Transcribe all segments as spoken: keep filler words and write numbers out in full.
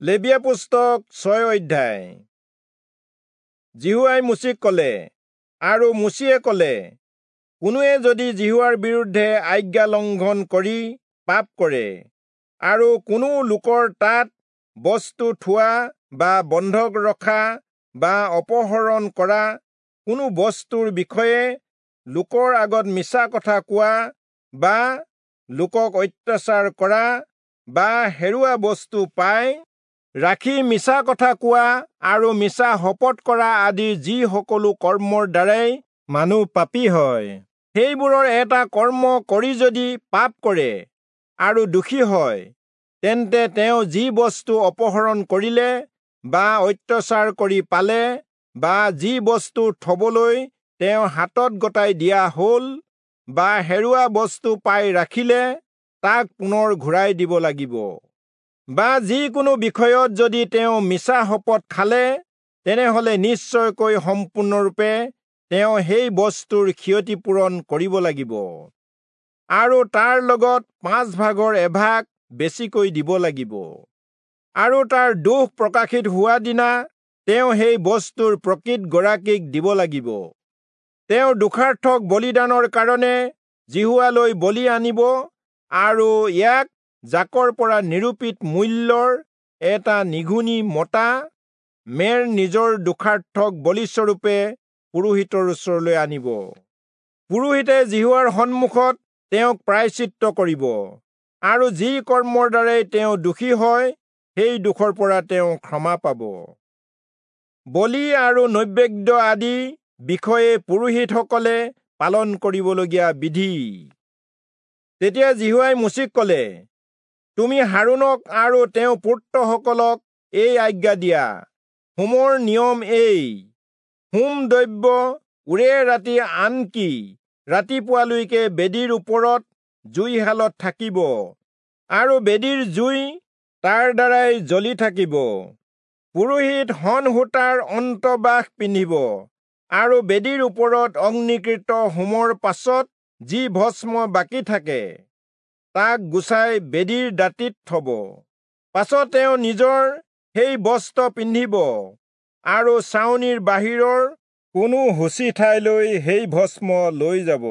লেবীয়া পুস্তক ছয় অধ্যায়। যিহোৱাই মোচিক কলে, আৰু মোচিয়ে কলে, কোনোৱে যদি যিহোৱাৰ বিৰুদ্ধে আজ্ঞা লংঘন কৰি পাপ কৰে, আৰু কোনো লোকৰ তাত বস্তু থোৱা বা বন্ধক ৰখা বা অপহৰণ কৰা কোনো বস্তুৰ বিষয়ে লোকৰ আগত মিছা কথা কোৱা বা লোকক অত্যাচাৰ কৰা বা হেৰুৱা বস্তু পাই ৰাখি মিছা কথা কোৱা আৰু মিছা শপত কৰা আদি যি সকলো কৰ্মৰ দ্বাৰাই মানুহ পাপী হয়, সেইবোৰৰ এটা কৰ্ম কৰি যদি পাপ কৰে আৰু দোষী হয়, তেন্তে তেওঁ যি বস্তু অপহৰণ কৰিলে বা অত্যাচাৰ কৰি পালে বা যি বস্তু থবলৈ তেওঁৰ হাতত গতাই দিয়া হল বা হেৰুৱা বস্তু পাই ৰাখিলে, তাক পুনৰ ঘূৰাই দিব লাগিব। বা যিকোনো বিষয়ত যদি তেওঁ মিছা শপত খালে, তেনেহলে নিশ্চয়কৈ সম্পূৰ্ণৰূপে তেওঁ সেই বস্তুৰ ক্ষতিপূৰণ কৰিব লাগিব আৰু তাৰ লগত পাঁচ ভাগৰ এভাগ বেছিকৈ দিব লাগিব। আৰু তাৰ দোষ প্ৰকাশিত হোৱা দিনা তেওঁ সেই বস্তুৰ প্ৰকৃত গৰাকীক দিব লাগিব। তেওঁ দোষাৰ্থক বলিদানৰ কাৰণে যিহোৱালৈ বলি আনিব আৰু ইয়াক জাকৰ পৰা নিৰূপিত মূল্যৰ এটা নিঘুণী মতা মেৰ নিজৰ দোষাৰ্থক বলিস্বৰূপে পুৰোহিতৰ ওচৰলৈ আনিব। পুৰোহিতে যিহোৱাৰ সন্মুখত তেওঁক প্ৰায়শ্চিত্ত কৰিব আৰু যি কৰ্মৰ দ্বাৰাই তেওঁ দোষী হয়, সেই দোষৰ পৰা তেওঁ ক্ষমা পাব। বলি আৰু নৈবেদ্য আদি বিষয়ে পুৰোহিতসকলে পালন কৰিবলগীয়া বিধি। তেতিয়া যিহোৱাই মোচিক কলে, তুমি হাৰোণক আৰু তেওঁৰ পুত্ৰসকলক এই আজ্ঞা দিয়া, হোমৰ নিয়ম এই: হোম দ্ৰব্য ওৰে ৰাতি আনকি ৰাতিপুৱালৈকে বেদীৰ ওপৰত জুইশালত থাকিব, আৰু বেদীৰ জুই তাৰ দ্বাৰাই জ্বলি থাকিব। পুৰোহিত শণ সূতাৰ অন্তৰ্বাস পিন্ধিব, আৰু বেদীৰ ওপৰত অগ্নিকৃত হোমৰ পাছত যি ভস্ম বাকী থাকে, তাক গুচাই বেদীৰ দাঁতিত থব। পাছত তেওঁ নিজৰ সেই বস্ত্ৰ পিন্ধিব আৰু ছাউনিৰ বাহিৰৰ কোনো শুচি ঠাইলৈ সেই ভস্ম লৈ যাব,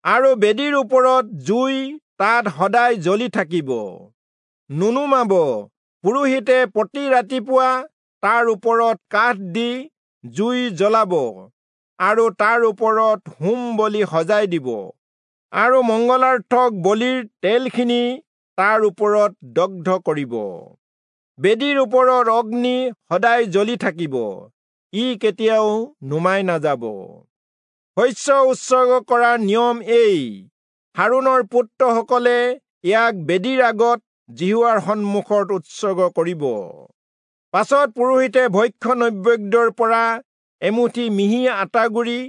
আৰু বেদীৰ ওপৰত জুই তাত সদায় জ্বলি থাকিব, নুনুমাব। পুৰোহিতে প্ৰতি ৰাতিপুৱা তাৰ ওপৰত কাঠ দি জুই জ্বলাব আৰু তাৰ ওপৰত হোম বলি সজাই দিব, আৰু মংগলাৰ্থক বলিৰ তেলখিনি তাৰ ওপৰত দগ্ধ কৰিব। বেদীৰ ওপৰত অগ্নি সদায় জ্বলি থাকিব, ই কেতিয়াও নুমাই নাযাব। শস্য উৎসৰ্গ কৰাৰ নিয়ম এই: হাৰোণৰ পুত্ৰসকলে ইয়াক বেদীৰ আগত যিহোৱাৰ সন্মুখত উৎসৰ্গ কৰিব। পাছত পুৰোহিতে ভক্ষ্য নৈবেদ্যৰ পৰা এমুঠি মিহি আটাগুড়ি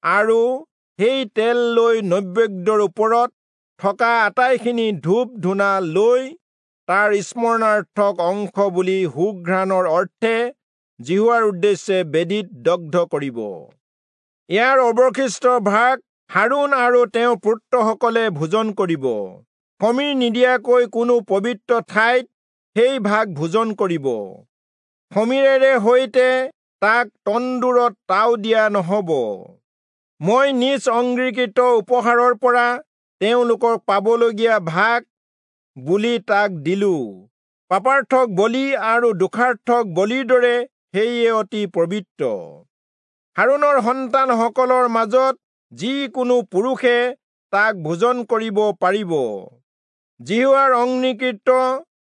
আৰু সেই তেল লৈ নৈবেদ্যৰ ওপৰত থকা আটাইখিনি ধূপ ধূনা লৈ তাৰ স্মৰণাৰ্থক অংশ বুলি সুঘ্ৰাণৰ অৰ্থে যিহোৱাৰ উদ্দেশ্যে বেদীত দগ্ধ কৰিব। ইয়াৰ অৱশিষ্ট ভাগ হাৰোণ আৰু তেওঁৰ পুত্ৰসকলে ভোজন কৰিব। খমীৰ নিদিয়াকৈ কোনো পবিত্ৰ ঠাইত সেই ভাগ ভোজন কৰিব। খমীৰেৰে সৈতে তাক তন্দুৰত তাও দিয়া নহব। মই নিজ অঙ্গীকৃত উপহাৰৰ পৰা তেওঁলোকক পাবলগীয়া ভাগ বুলি তাক দিলো। পাপাৰ্থক বলি আৰু দোষাৰ্থক বলিৰ দৰে সেয়ে অতি পবিত্ৰ। হাৰোণৰ সন্তানসকলৰ মাজত যিকোনো পুৰুষে তাক ভোজন কৰিব পাৰিব। যিহোৱাৰ অঙ্গীকৃত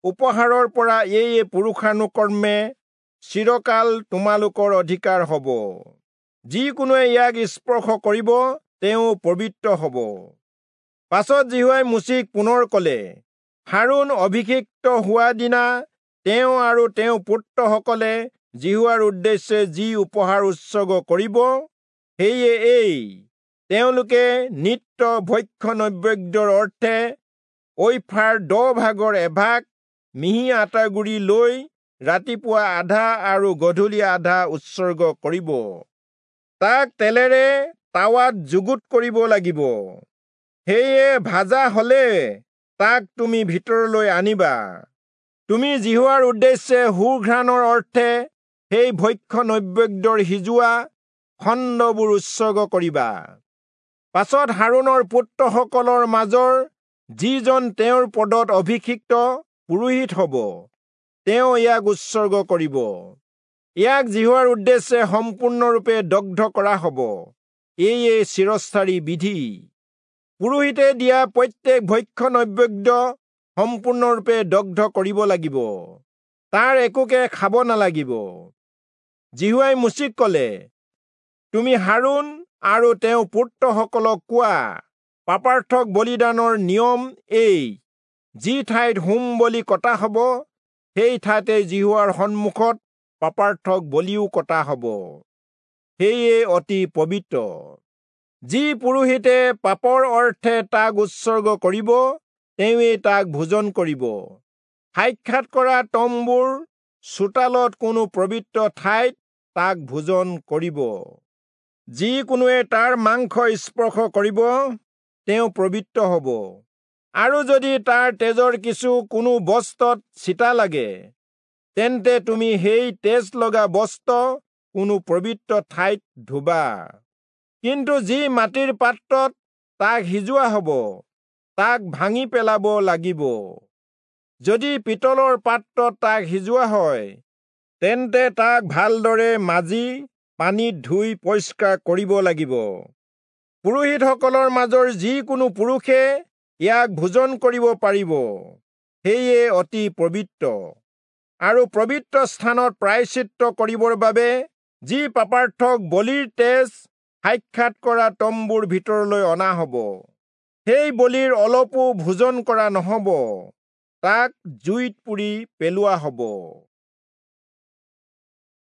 উপহাৰৰ পৰা এয়ে পুৰুষানুক্ৰমে চিৰকাল তোমালোকৰ অধিকাৰ হব। যিকোনোৱে ইয়াক স্পৰ্শ কৰিব, তেওঁ পবিত্ৰ হব। পাছত যিহোৱাই মোচিক পুনৰ কলে, হাৰোণ অভিষিক্ত হোৱা দিনা তেওঁ আৰু তেওঁৰ পুত্ৰসকলে যিহোৱাৰ উদ্দেশ্যে যি উপহাৰ উৎসৰ্গ কৰিব, সেয়ে এই: তেওঁলোকে নিত্য ভক্ষ্য নৈবেদ্যৰ অৰ্থে ঐফাৰ দহ ভাগৰ এভাগ মিহি আটাগুড়ি লৈ ৰাতিপুৱা আধা আৰু গধূলি আধা উৎসৰ্গ কৰিব। তাক তেলেৰে তাৱাত যুগুত কৰিব লাগিব। সেয়ে ভাজা হলে তাক তুমি ভিতৰলৈ আনিবা। তুমি যিহোৱাৰ উদ্দেশ্যে সুঘ্ৰাণৰ অৰ্থে সেই ভক্ষ্য নৈবেদ্যৰ সিজোৱা খণ্ডবোৰ উৎসৰ্গ কৰিবা। পাছত হাৰোণৰ পুত্ৰসকলৰ মাজৰ যিজন তেওঁৰ পদত অভিষিক্ত পুৰোহিত হ'ব, তেওঁ ইয়াক উৎসৰ্গ কৰিব। ইয়াক যিহোৱাৰ উদ্দেশ্যে সম্পূৰ্ণৰূপে দগ্ধ কৰা হ'ব। এয়ে চিৰস্থায়ী বিধি। পুৰোহিতে দিয়া প্ৰত্যেক ভক্ষ্য নৈবেদ্য সম্পূৰ্ণৰূপে দগ্ধ কৰিব লাগিব, তাৰ একোকে খাব নালাগিব। যিহোৱাই মোচিক ক'লে, তুমি হাৰোণ আৰু তেওঁৰ পুত্ৰসকলক কোৱা, পাপাৰ্থক বলিদানৰ নিয়ম এই, যি ঠাইত হোম বলি কটা হ'ব, সেই ঠাইতে যিহোৱাৰ সন্মুখত পাপাৰ্থক বলিও কটা হ'ব, সেয়ে অতি পবিত্ৰ। যি পুৰোহিতে পাপৰ অৰ্থে তাক উৎসৰ্গ কৰিব, তেওঁৱেই তাক ভোজন কৰিব। সাক্ষাৎ কৰা তম্বুৰ চোতালত কোনো পবিত্ৰ ঠাইত তাক ভোজন কৰিব। যি কোনোৱে তাৰ মাংস স্পৰ্শ কৰিব, তেওঁ পবিত্ৰ হ'ব। আৰু যদি তাৰ তেজৰ কিছু কোনো বস্ত্ৰত ছিটা লাগে, তেন্তে তুমি সেই তেজ লগা বস্ত্ৰ কোনো পবিত্ৰ ঠাইত ধুবা। কিন্তু যি মাটিৰ পাত্ৰত তাক সিজোৱা হ'ব, তাক ভাঙি পেলাব লাগিব। যদি পিতলৰ পাত্ৰত তাক সিজোৱা হয়, তেন্তে তাক ভালদৰে মাজি পানীত ধুই পৰিষ্কাৰ কৰিব লাগিব। পুৰোহিতসকলৰ মাজৰ যিকোনো পুৰুষে ইয়াক ভোজন কৰিব পাৰিব, সেয়ে অতি পবিত্ৰ। আৰু পবিত্ৰ স্থানত প্ৰায়শ্চিত্ত কৰিবৰ বাবে যি পাপাৰ্থক বলিৰ তেজ সাক্ষাৎ কৰা তম্বুৰ ভিতৰলৈ অনা হ'ব, সেই বলিৰ অলপো ভোজন কৰা নহ'ব, তাক জুইত পুৰি পেলোৱা হ'ব।